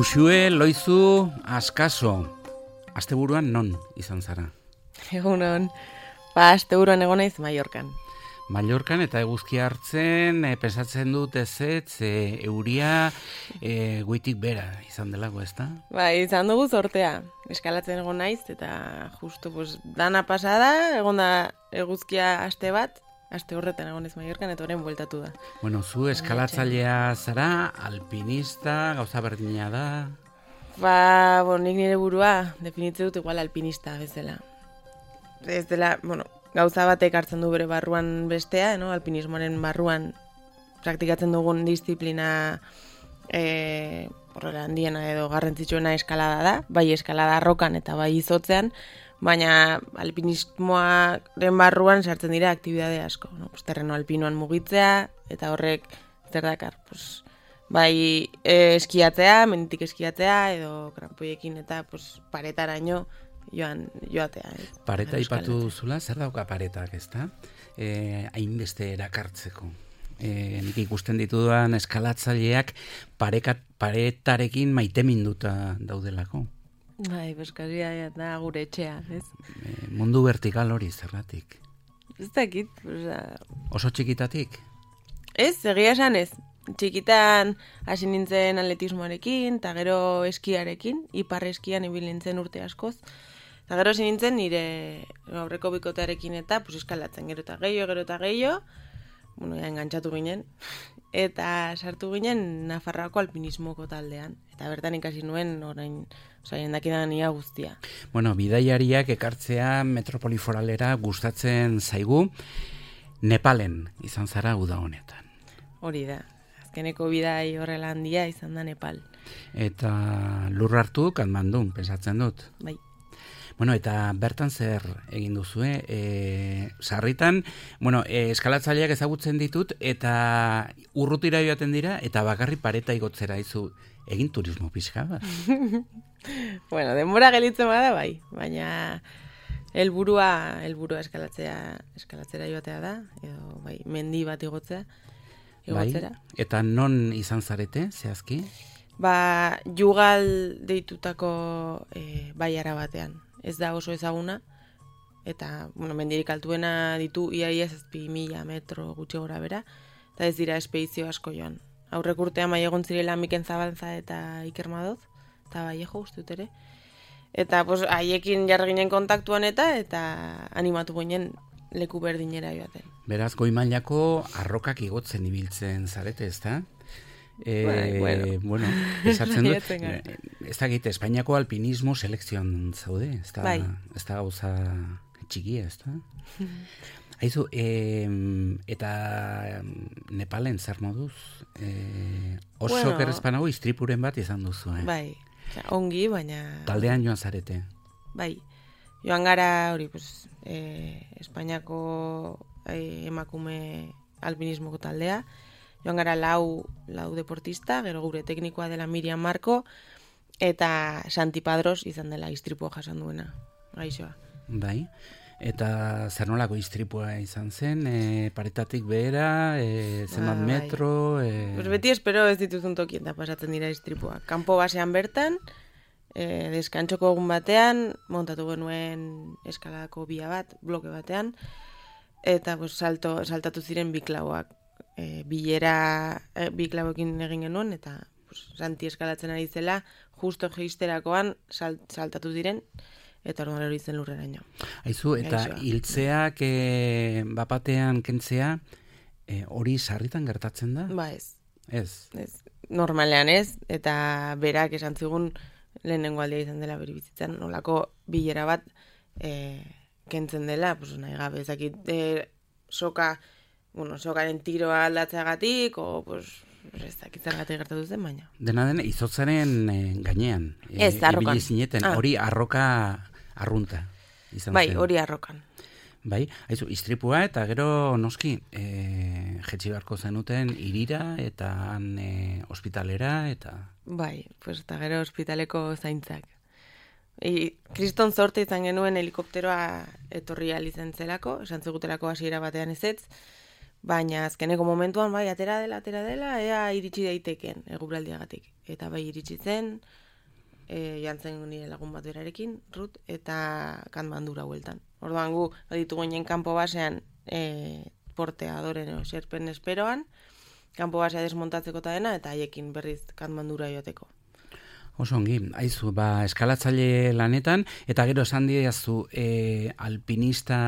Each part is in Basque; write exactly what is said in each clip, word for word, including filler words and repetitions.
Uxue, Loizu, Askaso, asteburuan non izan zara? Egunon, ba, asteburuan egon naiz Mallorcan. Mallorcan eta eguzkia hartzen, e, pensatzen dut ezetz, e, euria e, goitik bera izan delago, ezta? Ba, izan dugu zortea, eskalatzen egon naiz, eta justu, pues, dana pasada, egon da eguzkia aste bat, aste horretan egon ez Mallorcan, eta orain bueltatu da. Bueno, zu eskalatzailea zara, alpinista, gauza berdina da? Ba, bon, nik nire burua definitzen dut igual alpinista bezala. Ez dela, bueno, gauza batek hartzen du bere barruan bestea, no? Alpinismoaren barruan praktikatzen dugun disiplina e, horrela handiena edo garrantzitsuena eskalada da, bai eskalada arrokan eta bai izotzean, baina alpinismoaren barruan sartzen dira aktibidade asko, no? Pues, terreno alpinoan mugitzea, eta horrek zer dakar, pues, bai e, eskiatzea, menditik eskiatzea, edo krampoiekin eta pues, paretaraino joan joatea. Eh? Pareta aipatu duzula, zer dauka paretak, ezta? Eh, hainbeste erakartzeko. Eh, nik ikusten ditudan eskalatzaileak parekat, paretarekin maiteminduta daudelako. Bai, beskaria da gure etxea, ez? Eh, mundu vertikal hori zergatik. Ez dakit, oza... Oso txikitatik? Ez, egia esan ez. Txikitan hasi nintzen atletismoarekin, eta gero eskiarekin, ipar eskian ibil nintzen urte askoz. Eta gero hasi nintzen nire aurreko bikotearekin eta pues, eskalatzen gero eta gehiago, gero eta gehiago, bueno, ja, engantzatu ginen, eta sartu ginen Nafarroako alpinismoko taldean. Eta bertan ikasi nuen orain, oza, jendakidan ia guztia. Bueno, bidaiariak ekartzea metropoliforalera gustatzen zaigu, Nepalen izan zara uda honetan. Hori da. Azkeneko bidai horrela handia izan da Nepal. Eta lur hartu Katmandun, pensatzen dut. Bai. Bueno, eta bertan zer egin duzue? E, sarritan, bueno, e, eskalatzaileak ezagutzen ditut, eta urrutira joaten dira, eta bakarri pareta igotzera izu egin turismo pixka bat. Bueno, denbora gelitzen bada bai, baina helburua helburua eskalatzea, eskalatzera joatea da, edo bai, mendi bat igotzea. Igotzera. Bai, eta non izan zarete, zehazki? Ba, Jugal deitutako e, baiara batean. Ez da oso ezaguna, eta, bueno, mendirik altuena ditu iaia zazpi mila metro gutxi gora bera, eta ez dira espedizio asko joan. Aurrek urtean bai egon zirela Miken Zabalza eta Iker Madoz, eta bai ego ustut ere. Eta, pues, haiekin jarri ginen kontaktuan eta, eta animatu ginen leku berdinera joaten. Beraz, goi mailako arrokak igotzen ibiltzen zarete, ezta? E, bai, bueno, bueno esatzen dut, ez da gite, Espainiako alpinismo selekzioan zaude, ez da, bai. Ez da gauza txikia, ez da? Haizu, e, eta Nepalen zer moduz? E, oso bueno, gerrezpanago istripuren bat izan duzu, eh? Bai, ongi, baina... Taldean joan zarete? Bai, joan gara hori, pues, e, Espainiako e, emakume alpinismoko taldea, joan gara lau, lau deportista, gero gure teknikoa dela Miriam Marko, eta Santi Padros izan dela istripua jasan duena, gaixoa. Bai, eta zer nolako istripua izan zen, e, paretatik behera, e, zenbat ba, metro... Bai. E... Pues beti espero ez dituzun tokien da pasatzen dira istripua. Kanpo basean bertan, e, deskantxoko egun batean, montatu genuen eskaladako bia bat, bloke batean, eta pues, salto, saltatu ziren bi klauak. E, bilera e, bi klauekin egin genuen, eta pues, Santi eskalatzen ari zela, justo geisterakoan salt, saltatu diren, eta orduan hori zen lurreraino. Aizu, eta hiltzeak e, bapatean kentzea, e, hori sarritan gertatzen da? Ba ez. Ez? Ez. Normalean ez, eta berak esan zigun lehenengo aldea izan dela bere bizitzan, nolako bilera bat e, kentzen dela, pues, nahi gabe, ezakit, e, soka, bueno, sokaren tiroa aldatzeagatik, o, pues, ez dakit zergatik gertatu zen, baina. Dena den, izotzaren e, gainean. E, ez, arrokan. Ibili zineten, ah. hori arroka arrunta. Izan bai, zen. hori arrokan. Bai, haizu, istripua eta gero noski, e, jetxi beharko zenuten irira eta han e, ospitalera eta... Bai, pues, eta gero ospitaleko zaintzak. I, kriston zorte izan genuen helikopteroa etorri alizen zelako, esan zigutelako hasiera batean ezetz, baina azkeneko momentuan bai, atera dela, atera dela, ea iritsi daiteken eguraldiagatik. eta bai iritsi zen, e, jantzen nire lagun bat berarekin, Rut, eta Katmandura hueltan. Orduan gu, baditu ginen kanpo basean, e, portea adoren, o, xerpen esperoan, kanpo basea desmontatzeko eta dena, eta haiekin berriz Katmandura joateko. Oso ongi, aizu, ba, eskalatzaile lanetan, eta gero esan diazu e, alpinista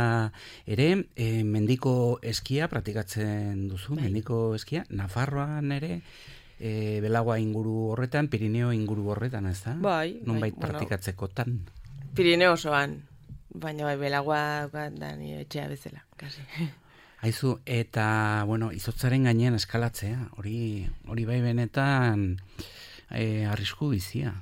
ere, e, mendiko eskia praktikatzen duzu, bai. Mendiko eskia, Nafarroan ere, e, Belagoa inguru horretan, Pirineo inguru horretan, ez da? Bai. Nonbait bai, praktikatzekotan. Bueno, Pirineo osoan, baina bai, Belagoa da nire etxea bezala, kasi. Aizu, eta, bueno, izotzaren gainean eskalatzea, hori, hori bai benetan... E, arrisku bizia.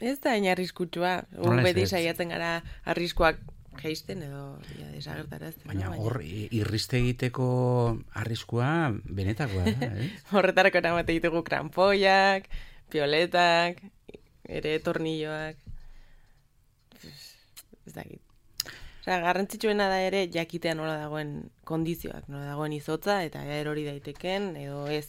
Ez da hain arriskutsua. Un beti saiatzen gara arriskuak geisten edo ja, desagertarazten. Baina hor, no? irriste egiteko arriskua benetakoa da, ez? Horretarako namate ditugu krampoiak, pioletak, ere tornilloak. Ez dakit. Osea, garrantzitsuena da ere jakitea nola dagoen kondizioak, nola dagoen izotza eta erori daiteken edo ez.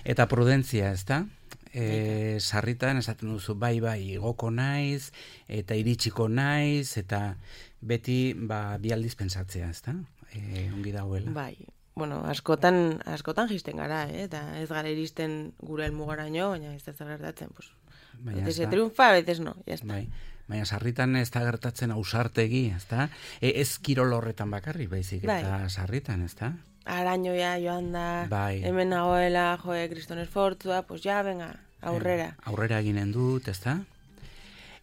Eta prudentzia, ez da? E, sarritan esaten duzu bai bai igoko naiz eta iritsiko naiz eta beti ba, bi aldiz pentsatzea, ezta? E, ongi dagoela. Bai, bueno, askotan askotan jisten gara, eh? Eta ez gara iristen gure helmugaraino, baina ez da zer gertatzen, pues. Baina se triunfa, a veces no, ya está. Bai. Baina sarritan ez da gertatzen ausartegi, ezta? E, ez kirol horretan bakarrik, baizik eta bai. Sarritan, ezta? Arañoia joan da, bai. Hemen nagoela, joe, kriston esfortzua, pues ja, venga, aurrera. Eh, aurrera eginen dut, ez da?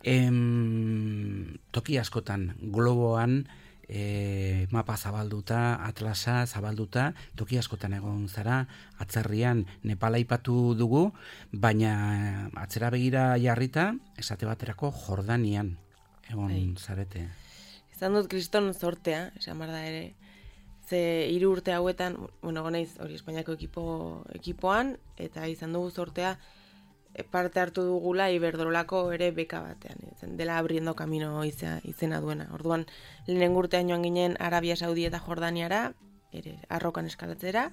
Em, toki askotan, globoan, e, mapa zabalduta, atlasa zabalduta, toki askotan egon zara, atzerrian Nepala aipatu dugu, baina atzera begira jarrita, esate baterako Jordanian egon bai. Zarete. Izan dut kriston zortea, esan bar da ere, ze hiru urte hauetan, bueno, gonaiz hori Espainiako ekipo, ekipoan, eta izan dugu zortea parte hartu dugula Iberdrolako ere beka batean, zen, dela abriendo camino izena, izena duena. Orduan, lehenen urtean joan ginen Arabia Saudi eta Jordaniara, ere arrokan eskalatzera,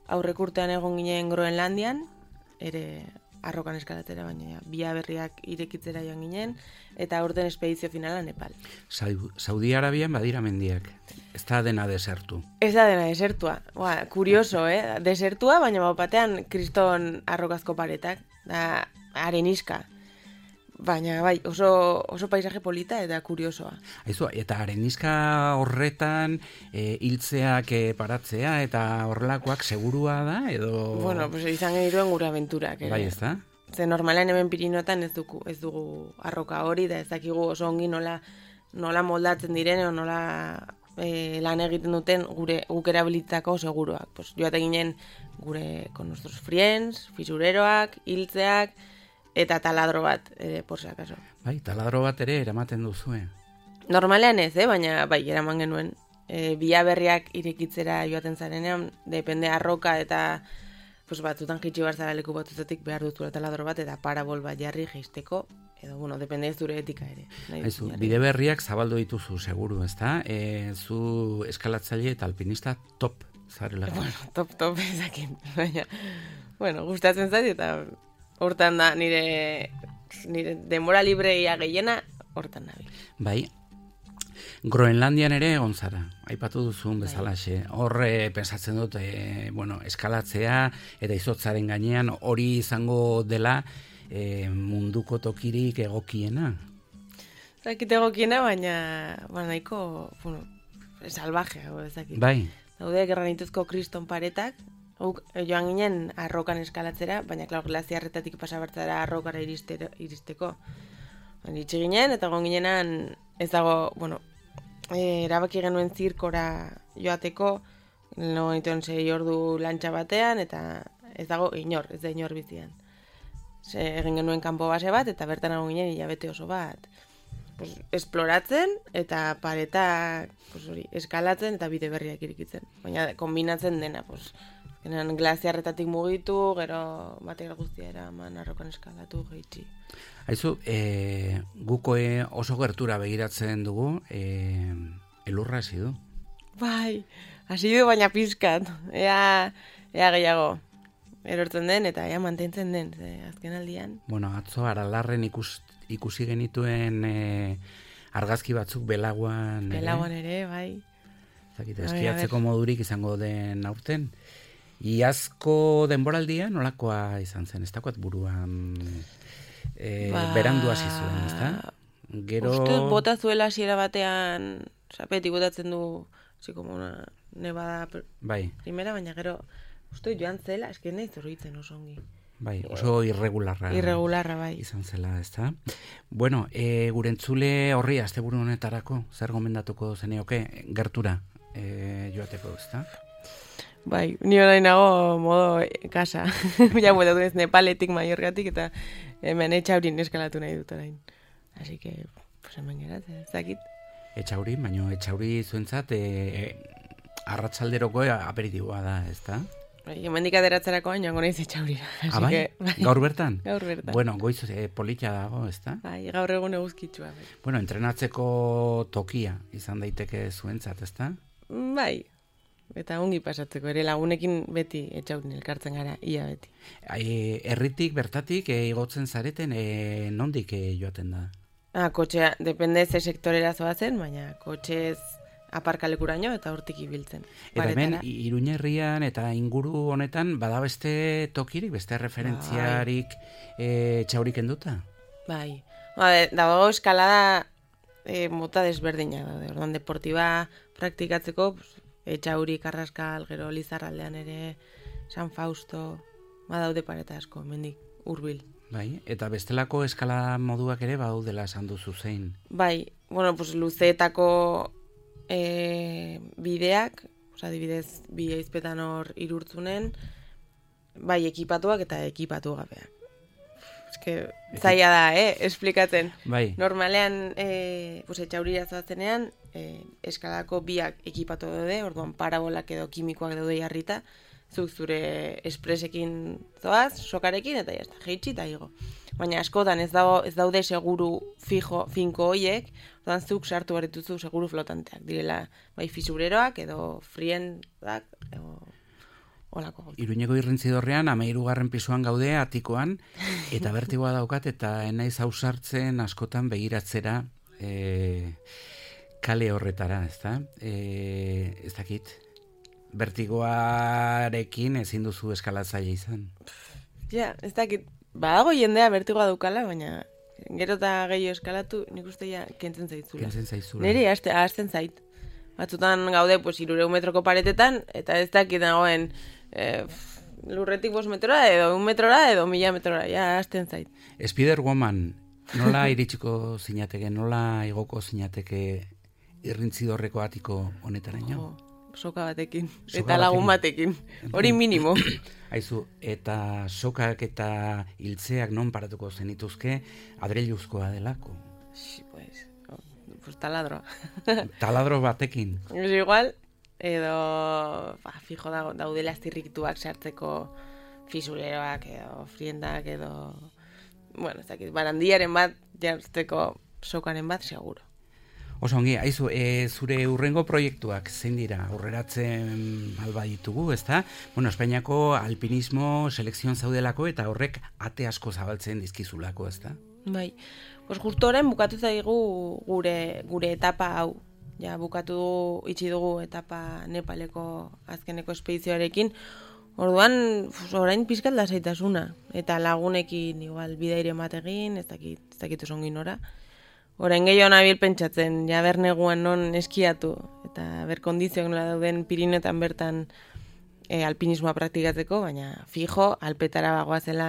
aurrek urtean egon ginen Groenlandian, ere arrokan eskalatzera, baina Bia Berriak irekitzera joan ginen, eta aurten espedizio finala Nepal. Saudi Arabian badira mendiak. Ez da dena desertu. Ez da dena desertua. Ba, kurioso, eh? Desertua, baina bapatean kriston arrokazko paretak. Da areniska. Baina bai, oso, oso paisaje polita eta kuriosoa. Aizu, eta areniska horretan e, hiltzeak e, paratzea eta horrelakoak segurua da, edo... Bueno, pues izan genituen gure aventurak. Ere. Bai, ez da? Ze normalean hemen Pirinoetan ez dugu, ez dugu arroka hori, da ez dakigu oso ongi nola, nola moldatzen diren, o nola e, lan egiten duten gure guk erabilitako seguruak. Pues, joate ginen gure con nuestros friends, fisureroak, hiltzeak, eta taladro bat, ere, por si acaso. Bai, taladro bat ere eramaten duzue. Normalean ez, eh? Baina bai, eraman genuen. E, Bia Berriak irekitzera joaten zarenean, depende arroka eta pues batzutan jitsi bar zara leku batzuetatik behar dutu taladro bat eta parabol bat jarri jeisteko, edo, bueno, depende ez zure etika ere. Aizu, Bide Berriak zabaldu dituzu, seguru, ezta? E, zu eskalatzaile eta alpinista top zarela. Bueno, top, top ezakin. Baina, bueno, gustatzen zait eta hortan da nire, nire denbora libreia gehiena hortan da. Bai, Groenlandian ere egon zara, aipatu duzun bezalaxe. Horre pensatzen dut, e, bueno, eskalatzea eta izotzaren gainean hori izango dela e, munduko tokirik egokiena. Zakit egokiena, baina ba, nahiko, bueno, salvaje, ezakit. Bai. Daude granituzko kriston paretak, Uk, joan ginen arrokan eskalatzera, baina klar, glaziarretatik pasabertzara arrokara iristero, iristeko. Iritsi ginen, eta gon ginenan ez dago, bueno, e, erabaki genuen zirkora joateko, no genituen sei ordu lantxa batean, eta ez dago inor, ez da inor bizian. Ze, egin genuen kanpo base bat, eta bertan egon ginen hilabete oso bat. Pues, esploratzen, eta paretak pues, hori, eskalatzen, eta bide berriak irikitzen. Baina kombinatzen dena, pues, genen glaziarretatik mugitu, gero material guztia eraman arrokan eskalatu, geitsi. Aizu, e, guko e, oso gertura begiratzen dugu, e, elurra hasi du. Bai, hasi du baina pizkat, ea, ea gehiago. erortzen den, eta ja mantentzen den, ze azken aldian. Bueno, atzo Aralarren ikus, ikusi genituen e, argazki batzuk belaguan ere. Belaguan ere, bai. Zakit, eskiatzeko modurik izango den aurten. Iazko denboraldia nolakoa izan zen, ez dakoat buruan e, ba... berandu hasi zuen, ez da? Gero... Uste bota zuela hasiera batean, zapetik botatzen du, zi como una nevada bai. Primera, baina gero, uste joan zela, eski nahi zorritzen oso ongi. Bai, oso irregularra. Irregularra, bai. Izan zela, ez da? Bueno, e, gure entzule horri, asteburu honetarako, zer gomendatuko zenioke, gertura e, joateko, ez da? Bai, ni orain nago modo casa. Ja bueltatu ez Nepaletik, Mallorcatik, eta hemen Etxaurin eskalatu nahi dut orain. Así que, pues hemen geratzen, ez dakit. Etxauri, baina Etxauri zuentzat e, e, arratsalderoko aperitiboa da, ez da? Bai, hemendik ateratzerako joango naiz Etxaurira. Ah, bai? Bai? Gaur bertan? Gaur bertan. Bueno, goiz e, polita dago, ez da? Bai, gaur egun eguzkitsua. Bai. Bueno, entrenatzeko tokia izan daiteke zuentzat, ez da? Bai, eta ongi pasatzeko ere lagunekin beti Etxaurin elkartzen gara, ia beti. E, erritik, bertatik, e, igotzen zareten, e, nondik e, joaten da? Ah, kotxea, depende ze sektorera zoazen, baina kotxez aparkalekuraino eta hortik ibiltzen. Eta hemen, Iruña herrian eta inguru honetan, bada beste tokirik, beste referentziarik e, Etxaurik enduta? Bai, ba, dago eskalada e, mota desberdina daude, orduan deportiba praktikatzeko, pues, Etxauri, Karraskal, gero Lizarraldean ere, San Fausto, badaude pareta asko, mendik, hurbil. Bai, eta bestelako eskala moduak ere badaudela esan duzu zein. Bai, bueno, pues luzeetako e, bideak, oza, adibidez, bi eizpetan hor irurtzunen, bai ekipatuak eta ekipatu gabeak. Eske, zaila da, eh, esplikatzen. Bai. Normalean, e, pues, Etxaurira zoazenean, e, eskalako biak ekipatu daude, orduan parabolak edo kimikoak daude jarrita, zuk zure espresekin zoaz, sokarekin, eta jazta, jeitsi eta higo. Baina askotan ez, dago, ez daude seguru fijo, finko hoiek, orduan zuk sartu barrituzu seguru flotanteak, direla bai fisureroak edo friendak, edo olako gauza. Iruñeko irrintzidorrean, amairugarren pisuan gaude, atikoan, eta bertigoa daukat, eta enaiz hausartzen askotan begiratzera e, kale horretara, ez da? E, ez dakit, bertigoarekin ezin duzu eskalatzaile izan. Ja, ez dakit, badago jendea bertigoa daukala, baina gero eta gehiago eskalatu, nik uste ja kentzen zaitzula. Kentzen zaizula. Neri ahazten zait. Batzutan gaude, pues, irurehun metroko paretetan, eta ez dakit dagoen eh, lurretik bost metrora, edo un metrora, edo mila metrora, ja, ahazten zait. Spider-Woman, nola iritsiko zinateke, nola igoko zinateke irrintzidorreko atiko honetaraino? Oh, soka batekin, Soka eta lagun batekin, hori minimo. Aizu, eta sokak eta hiltzeak non paratuko zenituzke adreiluzkoa delako? Sí, pues, oh, pues taladro. Taladro batekin. Es igual, edo, ba, fijo dago, daudela aztirriktuak sartzeko fisureroak edo friendak edo, bueno, ez dakit, barandiaren bat jartzeko sokaren bat, seguro. Oso ongi, aizu, e, zure urrengo proiektuak zein dira, aurreratzen alba ditugu, ezta? Bueno, Espainiako alpinismo selekzioan zaudelako eta horrek ate asko zabaltzen dizkizulako, ezta? Bai, pues justo orain bukatu zaigu gure, gure etapa hau. Ja, bukatu itxi dugu etapa Nepaleko azkeneko espedizioarekin. Orduan, pues, orain pizkat lasaitasuna. Eta lagunekin igual bidaire egin, ez dakit, ez dakit oso ongi nora. Orain gehiago nabil pentsatzen, ja berneguan non eskiatu, eta ber kondizioak nola dauden Pirineotan bertan e, alpinismoa praktikatzeko, baina fijo, alpetara bagoazela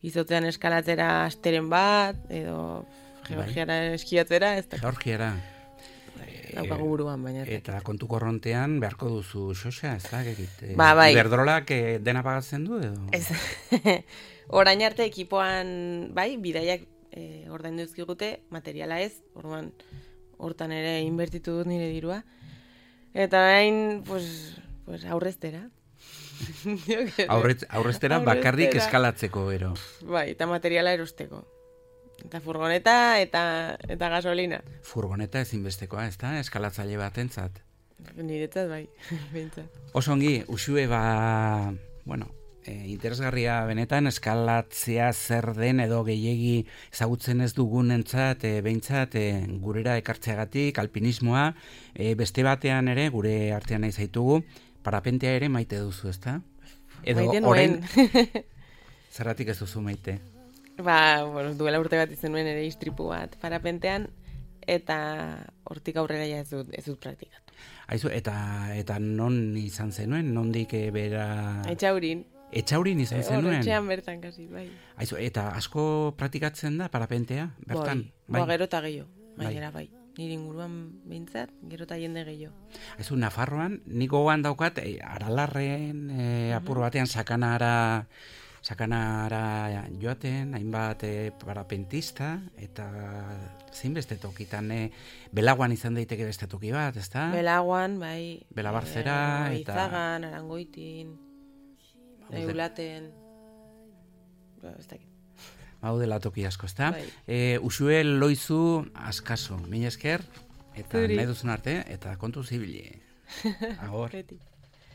izotzean eskalatzera asteren bat, edo Georgiara eskiatzera, ez da. Georgiara. Daukagu buruan, baina. Eta kontu korrontean beharko duzu xoxa, ez da? Ba, bai. Iberdrolak e, dena pagatzen du, edo? Ez. Orain arte ekipoan, bai, bidaiak E, ordaindu dizkigute, materiala ez, orduan hortan ere inbertitu dut nire dirua. Eta orain, pues, pues aurreztera. Aurrez, aurreztera bakarrik eskalatzeko, ero. Bai, eta materiala erosteko. Eta furgoneta eta eta gasolina. Furgoneta ezinbestekoa, ez da? Eskalatzaile batentzat. Niretzat bai, behintzat. Oso ongi, Uxue, ba, bueno, e, interesgarria benetan, eskalatzea zer den edo gehiegi ezagutzen ez dugunentzat, e, behintzat, e, gurera ekartzeagatik, alpinismoa, e, beste batean ere, gure artean nahi zaitugu, parapentea ere maite duzu, ezta? Edo Maite orain, nuen. zerratik ez duzu maite? Ba, bueno, duela urte bat izan nuen ere istripu bat parapentean, eta hortik aurrera ja ez dut, ez dut praktikatu. Aizu, eta eta non izan zenuen, nondik e, bera... Etxaurin. Etxaurin izan zenuen? Horretxean bertan, kasi, bai. Aizu, eta asko praktikatzen da parapentea, bertan? Bai, ba, gero eta gehiago, Bai. gainera, bai. Nire inguruan behintzat, gero eta jende gehiago. Aizu, Nafarroan, nik gogoan daukat, e, Aralarren e, apur batean sakanara... sakanara joaten, hainbat e, parapentista, eta zein beste tokitan, e, Belaguan izan daiteke beste toki bat, ezta? Belaguan, bai. Belabarzera, e, eta... Izagan, Arangoitin, Eulaten, ba, ez dakit. Hau dela toki asko, ezta? Bai. E, Usue Loizu askaso, mila esker, eta Zuri. nahi duzun arte, eta kontu zibili. Agor. Beti.